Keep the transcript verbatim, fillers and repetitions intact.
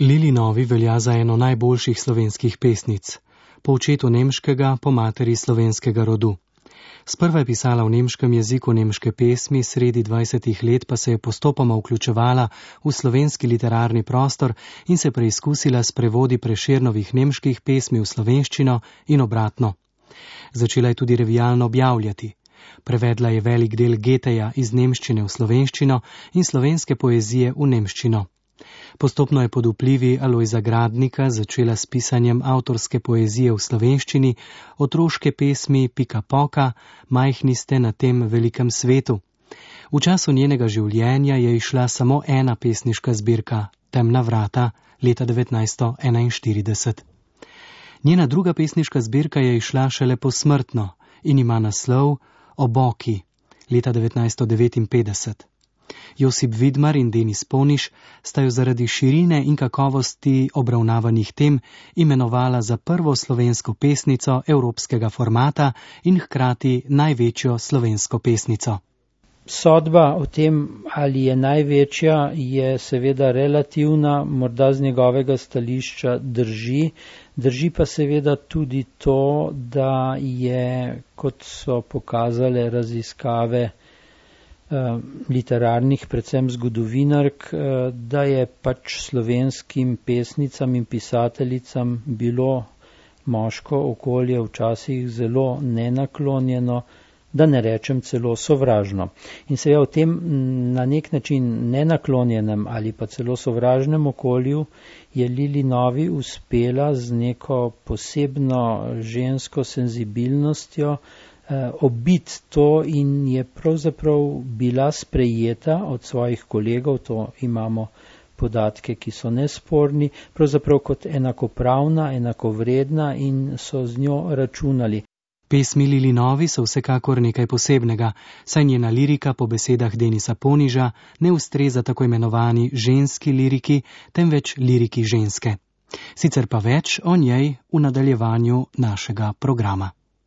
Lili Novi velja za eno najboljših slovenskih pesnic. Po očetu nemškega, po materi slovenskega rodu. Sprva je pisala v nemškem jeziku nemške pesmi, sredi dvajsetih let pa se je postopoma vključevala v slovenski literarni prostor in se preizkusila s prevodi Prešernovih nemških pesmi v slovenščino in obratno. Začela je tudi revijalno objavljati. Prevedla je velik del Goetheja iz nemščine v slovenščino in slovenske poezije v nemščino. Postopno je pod vplivi Alojza Gradnika začela s pisanjem avtorske poezije v slovenščini, otroške pesmi Pika Poka, Majhni ste na tem velikem svetu. V času njenega življenja je izšla samo ena pesniška zbirka, Temna vrata, leta devetnajststo enainštirideset. Njena druga pesniška zbirka je izšla šele posmrtno in ima naslov Oboki, leta devetnajststo devetinpetdeset. Josip Vidmar in Denis Poniš sta jo zaradi širine in kakovosti obravnavanih tem imenovala za prvo slovensko pesnico evropskega formata in hkrati največjo slovensko pesnico. Sodba o tem, ali je največja, je seveda relativna, morda z njegovega stališča drži. Drži pa seveda tudi to, da je, kot so pokazale raziskave literarnih, predvsem zgodovinark, da je pač slovenskim pesnicam in pisateljicam bilo moško okolje včasih zelo nenaklonjeno, da ne rečem celo sovražno. In seveda v tem na nek način nenaklonjenem ali pa celo sovražnem okolju je Lili Novi uspela z neko posebno žensko senzibilnostjo obiti to in je pravzaprav bila sprejeta od svojih kolegov, to imamo podatke, ki so nesporni, pravzaprav kot enakopravna, enakovredna in so z njo računali. Pesmi Lili Novi so vsekakor nekaj posebnega, saj njena lirika po besedah Denisa Poniža ne ustreza tako imenovani ženski liriki, temveč liriki ženske. Sicer pa več o njej v nadaljevanju našega programa.